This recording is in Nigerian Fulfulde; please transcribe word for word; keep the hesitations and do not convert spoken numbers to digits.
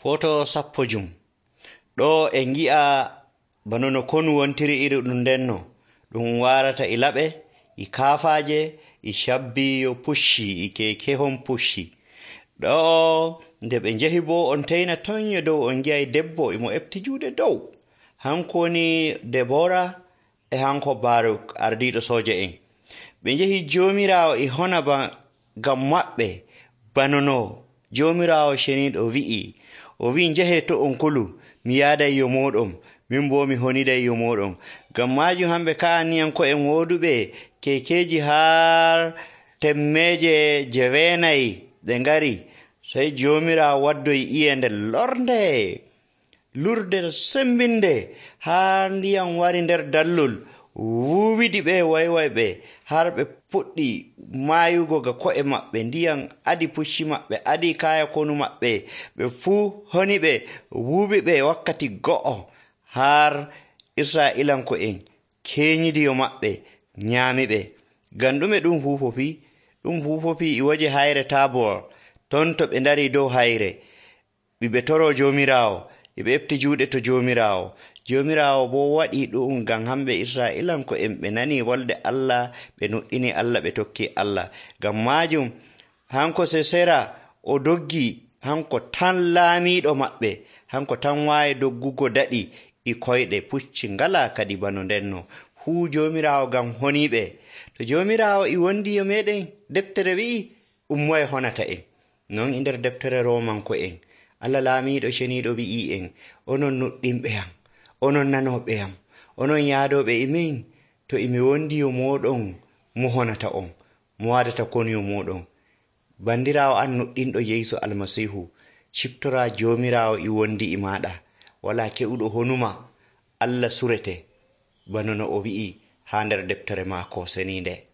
Foto sappo jum. Ɗo en gi'a bano no konu wontiri iri ɗum ndenno ɗum warata e laɓe e kaafaje e shabbi yo pucci e kekehon pucci. Ɗo nde ɓe njehi bo on teyna tonyo dow on gi'ay debbo emo efti juuɗe dow. Hanko woni Debora e hanko Baruk ardiɗo soja en. Ɓe njehi Jomirawo e hona ba ngam maɓɓe bano no Jomirawo ceniɗo wi'i. O wi'i njehe to on kulu mi yaaday yo moɗon, min bo mi honiday yo moɗon. Ngam majum hamɓe ka'aniyanko en woduɓe kekeji har temmeje jeweenayi ɗe ngari, sey Jomirawo waddoyi iye nde lorde lurde sembinde har ndiyam wari nder dallol wuwidi ɓe waywayɓe har ɓe puɗɗi mayugo ga ko'e maɓɓe. Ndiyam adi pucci maɓɓe, adi kaya konu maɓɓe, ɓe fuu honi ɓe wuubi ɓe wakkati go'o har Isra'ilanko en kenyidi yo maɓɓe nyaami ɓe. Ngam ɗume ɗum fuufofi? Ɗum fuufofi e waje hayre Tabor. Ton to ɓe ndari dow hayre ɓe toro Jomirawo ɓe efti juuɗe to Jomirawo. Jomirawo bo waɗi ɗum ngam hamɓe Isra'ilanko en ɓe nani wolde Allah, ɓe nuɗɗini Allah, ɓe tokki Allah. Ngam majum hanko Sisera o doggi, hanko tan laamiɗo maɓɓe, hanko tan waawi doggugo daɗi e koyɗe pucci ngala kadi bano ndenno. Fuu Jomirawo ngam honiɓe. To Jomirawo e wondi yo meɗen, deftere wi'i ummoye honata en. Non e nder deftere Romanko en, Allah laamiɗo ceniɗo wi'i en, onon nuɗɗinɓe yam, onon nanoɓe yam, onon yaadoɓe e min, to emi wondi yo moɗon mo honata on, mo wadata konu yo moɗon. Bandirawo an nuɗɗinɗo Yeesu Almasihu, ciftora Jomirawo e wondi e maɗa, wala ke'uɗo honuma, Allah surete bano no o wi'i ha nder deftere maako seninde.